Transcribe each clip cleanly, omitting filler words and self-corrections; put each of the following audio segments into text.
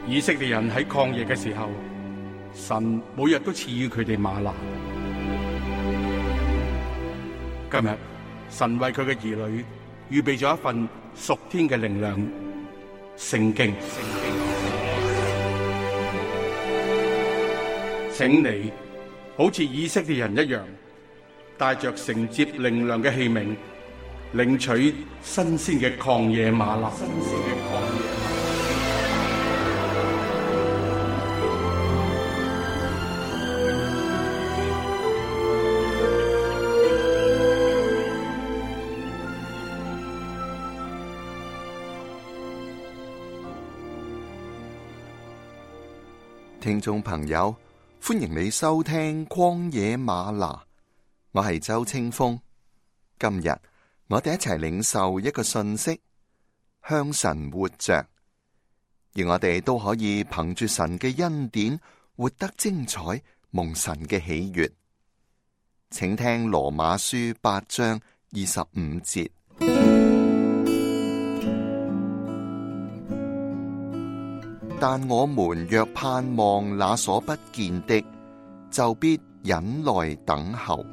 以色列人喺曠野嘅時候，神每日都賜予佢哋嗎哪。今日神為佢嘅兒女預備咗一份屬天嘅靈糧——聖經。請你好似以色列人一樣，帶着承接靈糧嘅器皿，領取新鮮嘅曠野嗎哪。聽眾朋友，歡迎你收聽曠野嗎哪，我係周清風。今日我哋一齊領受一個訊息，向神活着，而我哋都可以憑住神嘅恩典活得精彩，蒙神嘅喜悅。請聽羅馬書8章25節。但我們若盼望那所不見的，就必忍耐等候。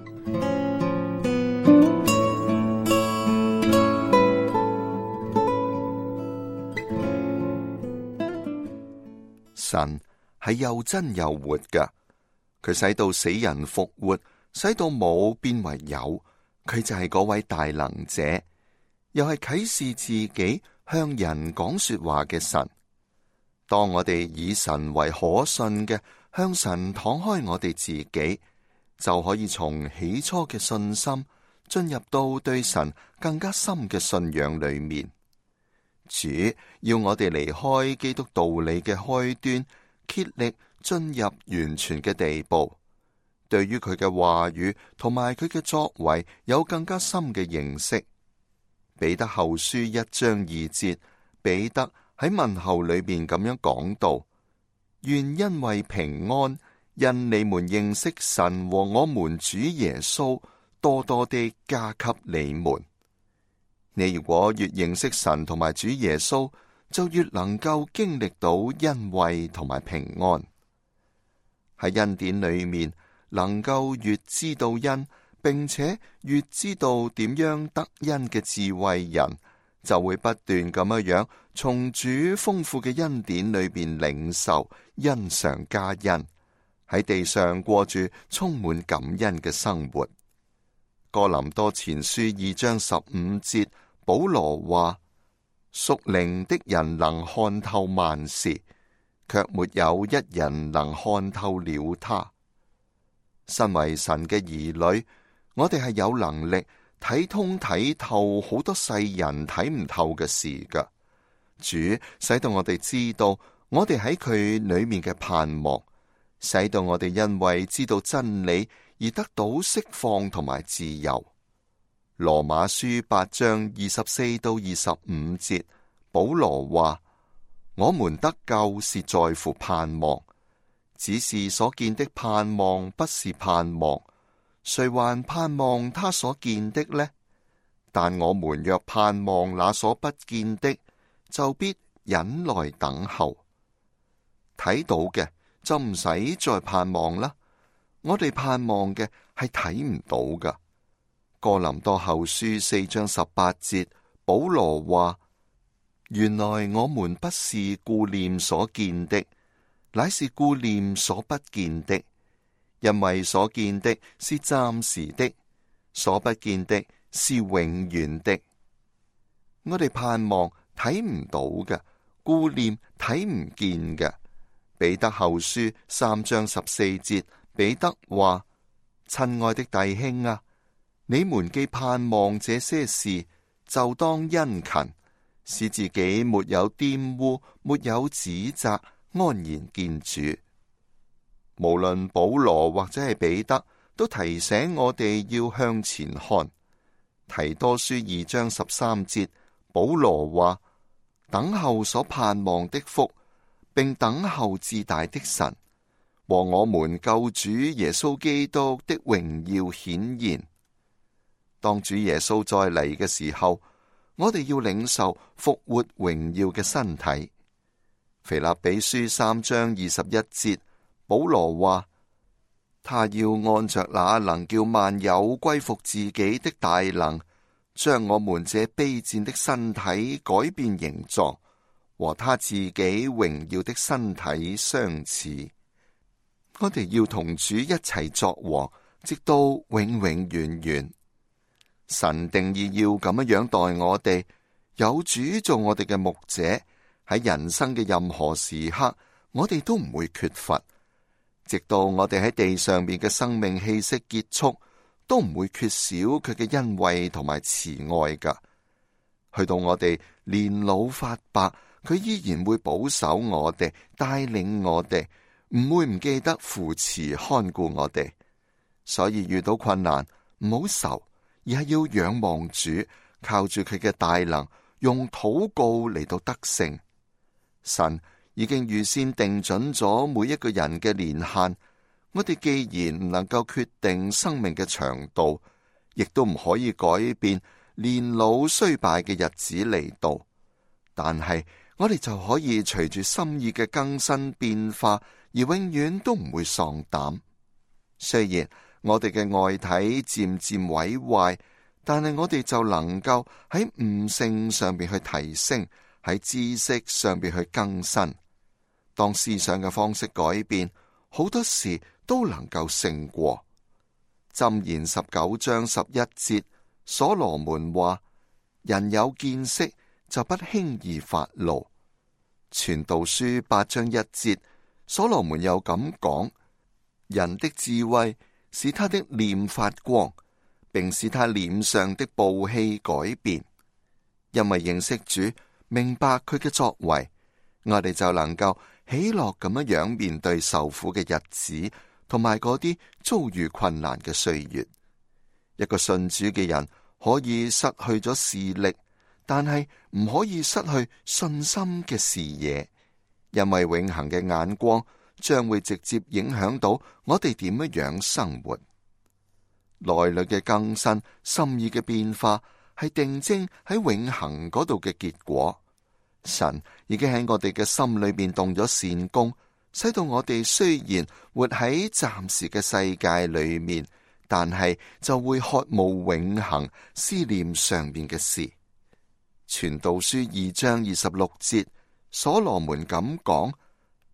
神係又真又活㗎，佢使到死人復活，使到冇變為有，佢就係嗰位大能者，又係啟示自己向人講說話嘅神。當我哋以神為可信嘅，向神敞開我哋自己，就可以從起初嘅信心進入到對神更加深嘅信仰裏面。主要我哋離開基督道理嘅開端，竭力進入完全嘅地步，對於佢嘅話語同埋佢嘅作為有更加深嘅認識。彼得後書1章2節，彼得喺問候裏邊咁樣講道：願因為平安，因你們認識神和我們主耶穌，多多地加給你們。你如果越認識神同埋主耶穌，就越能夠經歷到恩惠同埋平安。喺恩典裏面，能夠越知道恩，並且越知道點樣得恩嘅智慧人，就會不斷咁樣從主豐富嘅恩典裏邊領受，恩上加恩，喺地上過住充滿感恩嘅生活。哥林多前書2章15節，保羅話：屬靈的人能看透萬事，卻沒有一人能看透了他。身為神嘅兒女，我哋係有能力睇通睇透好多世人睇唔透嘅事㗎。主使到我哋知道我哋喺佢裏面嘅盼望，使到我哋因為知道真理而得到釋放同埋自由。羅馬書8章24到25節，保羅話：我們得救是在乎盼望，只是所見的盼望不是盼望，誰還盼望他所見的呢？但我們若盼望那所不見的，就必忍耐等候。睇到嘅就唔使再盼望啦，我哋盼望嘅係睇唔到㗎。哥林多後書4章18節，保羅話：原來我們不是顧念所見的，乃是顧念所不見的，因為所見的是暫時的，所不見的是永遠的。我哋盼望睇唔到嘅，顧念睇唔見嘅。彼得後書3章14節，彼得話：親愛的弟兄啊，你們既盼望這些事，就當殷勤，使自己沒有玷污，沒有指責，安然見主。無論保羅或者係彼得，都提醒我哋要向前看。提多書2章13節，保羅話：等候所盼望的福，並等候至大的神和我們救主耶穌基督的榮耀顯現。當主耶穌再嚟嘅時候，我哋要領受復活榮耀嘅身體。腓立比書3章21節，保羅話：他要按着那能叫萬有歸服自己的大能，將我們這卑賤的身體改變形狀，和他自己榮耀的身體相似。我哋要同主一齊作王，直到永永遠遠。神定意要咁樣待我哋，有主做我哋嘅牧者，喺人生嘅任何時刻，我哋都唔會缺乏。直到我哋喺地上邊嘅生命氣息結束，都唔會缺少佢嘅恩惠同埋慈愛噶。去到我哋年老發白，佢依然會保守我哋，帶領我哋，唔會唔記得扶持看顧我哋。所以遇到困難唔好愁，而係要仰望主，靠住佢嘅大能，用禱告嚟到得勝。神已經預先定準咗每一個人嘅年限，我哋既然唔能夠決定生命嘅長度，亦都唔可以改變年老衰敗嘅日子嚟到，但係我哋就可以隨住心意嘅更新變化，而永遠都唔會喪膽。雖然我哋嘅外體漸漸毀壞，但係我哋就能夠喺悟性上邊去提升，喺知識上邊去更新。當思想嘅方式改變，好多事都能夠勝過。箴言19章11節，所羅門話：人有見識就不輕易發怒。傳道書8章1節，所羅門又咁講：人的智慧使他的臉發光，並使他臉上的暴氣改變。因為認識主，明白佢嘅作為，我哋就能夠喜樂咁樣面對受苦嘅日子，同埋嗰啲遭遇困難嘅歲月。一個信主嘅人可以失去咗視力，但係唔可以失去信心嘅視野，因為永恆嘅眼光將會直接影響到我哋點樣生活。內裏嘅更新、心意嘅變化，係定睛喺永恆嗰度嘅結果。神已經喺我哋嘅心裏邊動咗善工，使到我哋雖然活喺暫時嘅世界裏面，但係就會渴慕永恆，思念上面嘅事。傳道書2章26節，所羅門咁講：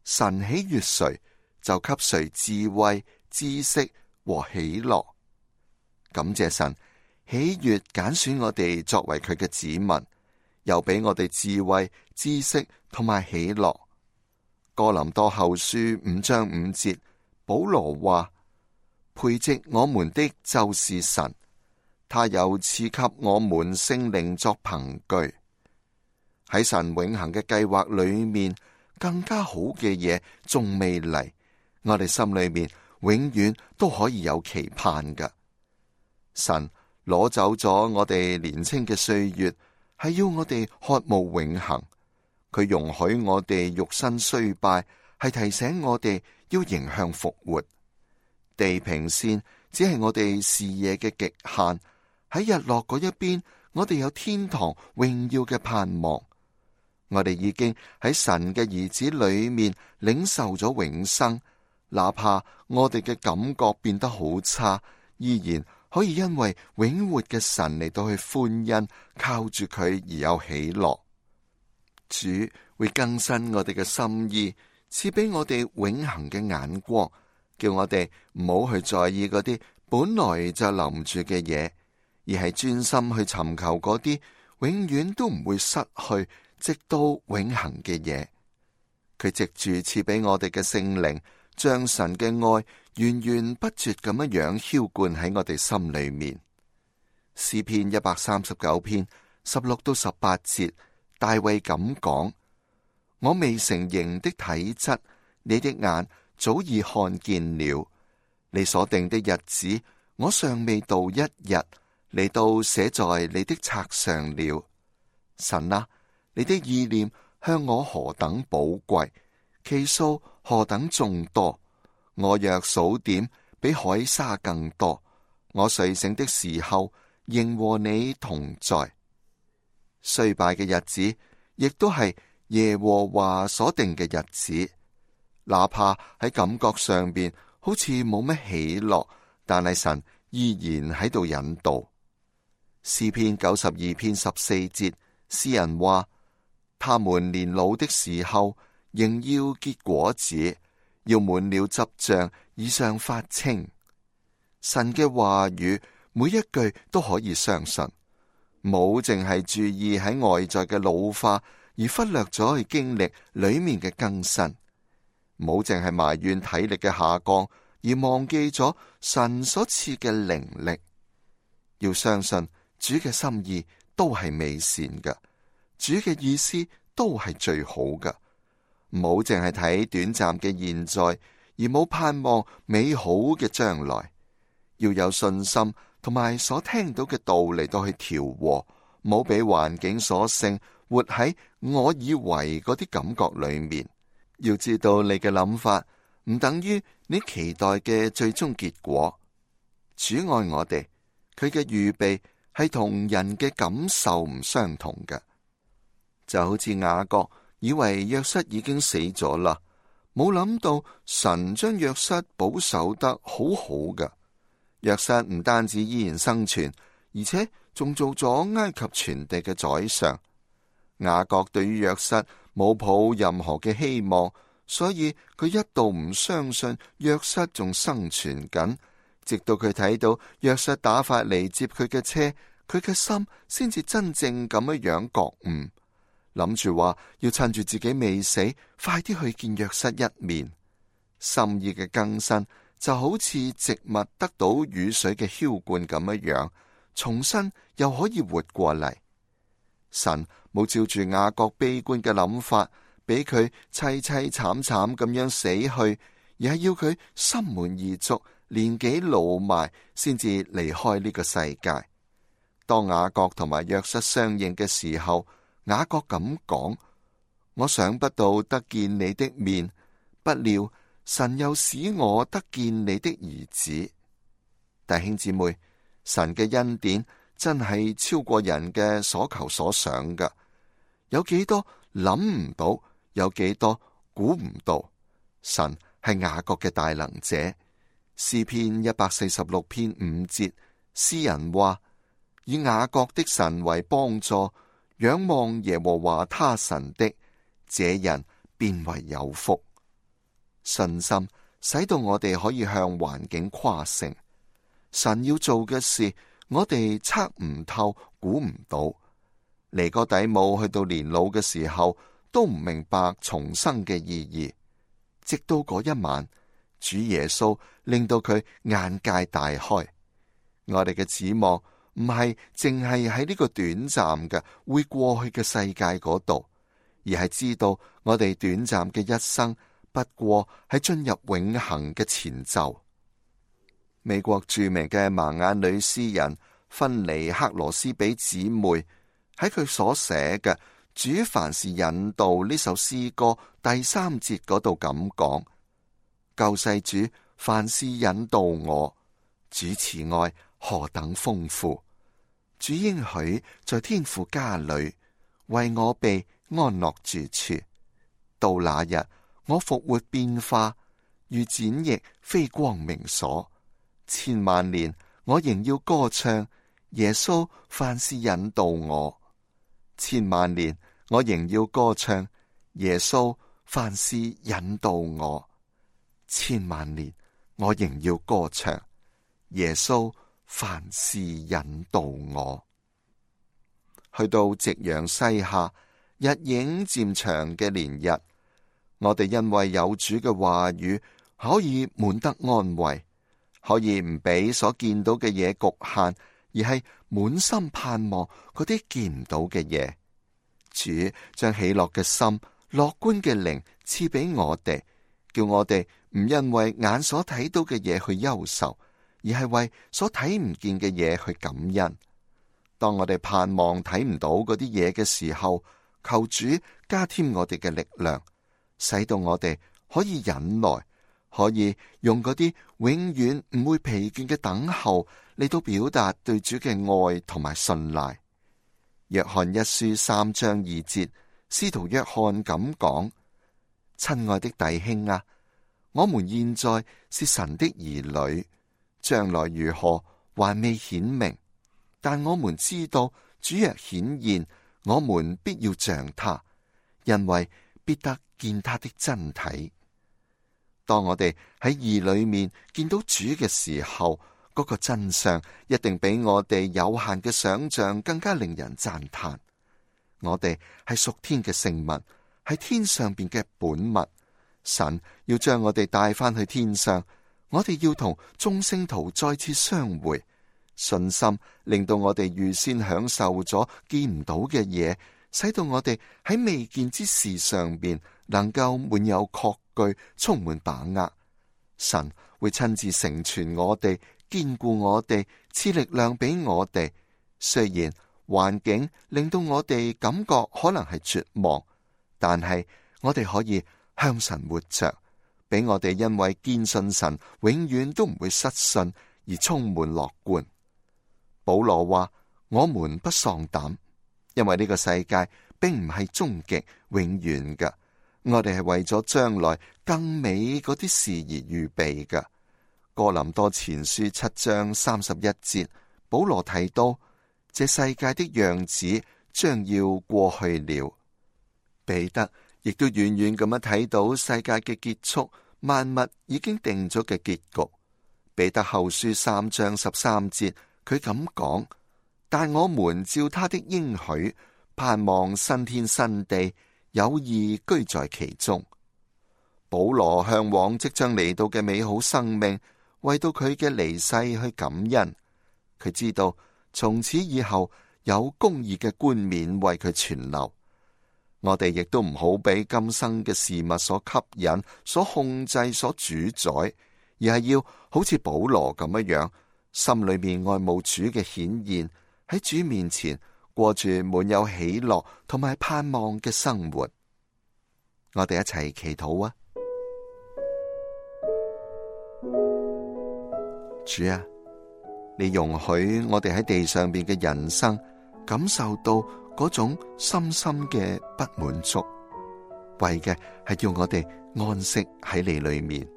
神喜悅誰，就給誰智慧、知識和喜樂。感謝神喜悅揀選我哋作為佢嘅子民，又俾我哋智慧、知識同埋喜樂。哥林多後書5章5節，保羅話：培植我們的就是神，他又賜給我們聖靈作憑據。喺神永恆嘅計劃裏面，更加好嘅嘢仲未嚟，我哋心裏面永遠都可以有期盼㗎。神攞走咗我哋年輕嘅歲月，係要我哋渴慕永恆。佢容許我哋肉身衰敗，係提醒我哋要迎向復活。地平線只係我哋視野嘅極限，喺日落嗰一邊，我哋有天堂榮耀嘅盼望。我哋已經喺神嘅兒子裏面領受咗永生，哪怕我哋嘅感覺變得好差，依然可以因為永活嘅神嚟到去歡欣，靠住佢而有喜樂。主會更新我哋嘅心意，賜俾我哋永恆嘅眼光，叫我哋唔好去在意嗰啲本來就留唔住嘅嘢，而係專心去尋求嗰啲永遠都唔會失去，直到永恆嘅嘢。佢藉住賜俾我哋嘅聖靈，將神嘅愛源源不絕咁樣澆灌喺我哋心裏面。詩篇139篇16到18節，大衛咁講：我未成形的體質，你的眼早已看見了；你所定的日子，我尚未到一日，你都寫在你的冊上了。神啊，你的意念向我何等寶貴，其數何等眾多。我若數點，比海沙更多。我睡醒的時候，仍和你同在。衰敗嘅日子，亦都係耶和華所定嘅日子，哪怕喺感覺上邊好似冇乜喜樂，但係神依然喺度引導。詩篇92篇14節，詩人話：他們年老的時候，仍要結果子，要滿了汁漿，以上發青。神嘅話語每一句都可以相信，冇淨係注意喺外在嘅老化，而忽略咗去經歷裏面嘅更新；冇淨係埋怨體力嘅下降，而忘記咗神所賜嘅靈力。要相信主嘅心意都係美善嘅，主嘅意思都係最好嘅。唔好淨係睇短暫嘅現在，而冇盼望美好嘅將來。要有信心，同埋所聽到嘅道嚟到去調和，唔好俾環境所勝，活喺我以為嗰啲感覺裏面。要知道你嘅諗法唔等於你期待嘅最終結果。主愛我哋，佢嘅預備係同人嘅感受唔相同嘅。就好似雅各以為約瑟已經死咗啦，冇諗到神將約瑟保守得好好嘅。約瑟唔單止依然生存，而且仲做咗埃及全地嘅宰相。雅各對於約瑟冇抱任何嘅希望，所以佢一度唔相信約瑟仲生存緊，直到佢睇到約瑟打發嚟接佢嘅車，佢嘅心先至真正咁樣覺悟，諗住話要趁住自己未死，快啲去見約瑟一面。心意嘅更新就好似植物得到雨水嘅澆灌咁樣，重新又可以活過嚟。神冇照住雅各悲觀嘅諗法，俾佢淒淒慘慘咁樣死去，而係要佢心滿意足，年紀老邁，先至離開呢個世界。當雅各同埋約瑟相認嘅時候，雅各咁講：我想不到得見你的面，不料神又使我得見你的兒子。弟兄姊妹，神嘅恩典真係超過人嘅所求所想噶。有幾多諗唔到，有幾多估唔到。神係雅各嘅大能者。詩篇146篇5節，詩人話：以雅各的神為幫助，仰望耶和華他神的，這人便為有福。信心使到我哋可以向環境誇勝。神要做嘅事，我哋測唔透，估唔到。尼哥底母去到年老嘅時候，都唔明白重生嘅意義。直到嗰一晚，主耶穌令到佢眼界大開。我哋嘅指望唔係淨係喺呢個短暫嘅會過去嘅世界嗰度，而係知道我哋短暫嘅一生不過係進入永恆嘅前奏。美國著名嘅盲眼女詩人芬尼克羅斯比姊妹喺佢所寫嘅《主凡事引導》呢首詩歌第3節嗰度咁講：救世主凡事引導我，主慈愛何等豐富，主應許在天父家裏為我備安樂住處。到那日，我復活變化，如展翼飛光明所。千萬年，我仍要歌唱耶穌凡事引導我。千萬年，我仍要歌唱耶穌凡事引導我。千萬年，我仍要歌唱耶穌凡事引導我。去到夕陽西下，日影漸長嘅連日，我哋因為有主嘅話語，可以滿得安慰，可以唔俾所見到嘅嘢局限，而係滿心盼望嗰啲見唔到嘅嘢。主將喜樂嘅心、樂觀嘅靈賜俾我哋，叫我哋唔因為眼所睇到嘅嘢去憂愁，而係為所睇唔見嘅嘢去感恩。當我哋盼望睇唔到嗰啲嘢嘅時候，求主加添我哋嘅力量，使到我哋可以忍耐，可以用嗰啲永遠唔會疲倦嘅等候嚟到表達對主嘅愛同埋信賴。約翰一書3章2節，使徒約翰咁講：親愛的弟兄啊，我們現在是神的兒女，將來如何還未顯明，但我們知道主若顯現，我們必要像他，因為必得見他的真體。當我哋喺義裏面見到主嘅時候，嗰個真相一定比我哋有限嘅想象更加令人讚嘆。我哋係屬天嘅聖物，係天上邊嘅本物。神要將我哋帶翻去天上，我哋要同眾聖徒再次相會。信心令到我哋預先享受咗見唔到嘅嘢，使到我哋喺未見之事上邊能夠滿有確據，充滿把握。神會親自成全我哋，堅固我哋，賜力量俾我哋。雖然環境令到我哋感覺可能係絕望，但係我哋可以向神活着，俾我哋因為堅信神永遠都唔會失信而充滿樂觀。保羅話：我們不喪膽，因為呢個世界並唔係終極永遠嘅，我哋係為咗將來更美嗰啲事而預備嘅。哥林多前書7章31節，保羅提到：這世界的樣子將要過去了。彼得亦都遠遠咁樣睇到世界嘅結束，萬物已經定咗嘅結局。彼得後書3章13節，佢咁講：但我們照他的應許，盼望新天新地，有義居在其中。保羅向往即將嚟到嘅美好生命，為到佢嘅離世去感恩。佢知道從此以後有公義嘅冠冕為佢存留。我哋亦都唔好俾今生嘅事物所吸引、所控制、所主宰，而係要好似保羅咁樣，心裏面愛慕主嘅顯現，喺主面前過住滿有喜樂同埋盼望嘅生活。我哋一齊祈禱啊！主啊，你容許我哋喺地上邊嘅人生感受到嗰種深深嘅不滿足，為嘅係要我哋安息喺你裏面。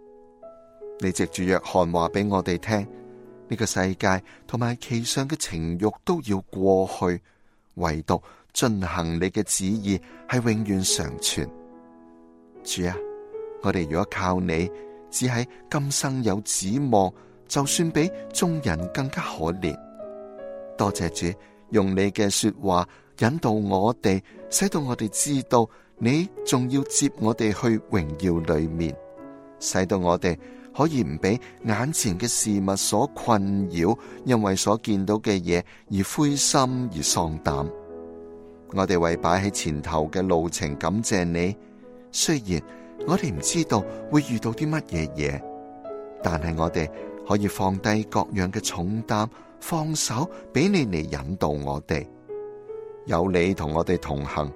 你藉住約翰話俾我哋聽，呢個世界同埋其上嘅情慾都要過去，唯獨進行你嘅旨意係永遠常存。主啊，我哋如果靠你，只喺今生有指望，就算比眾人更加可憐。多謝主用你嘅說話引導我哋，使到我哋知道你仲要接我哋去榮耀裏面，使到我哋可以唔俾眼前嘅事物所困擾，因為所見到嘅嘢而灰心而喪膽。我哋為擺喺前頭嘅路程感謝你，雖然我哋唔知道會遇到啲乜嘢嘢，但係我哋可以放低各樣嘅重擔，放手俾你嚟引導我哋。有你同我哋同行，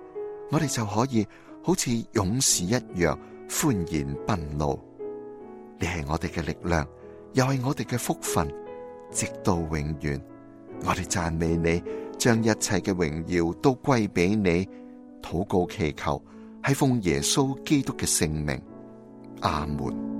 我哋就可以好似勇士一樣歡然奔路。你係我哋嘅力量，又係我哋嘅福分，直到永遠。我哋讚美你，將一切嘅榮耀都歸俾你。禱告祈求，係奉耶穌基督嘅聖名。阿門。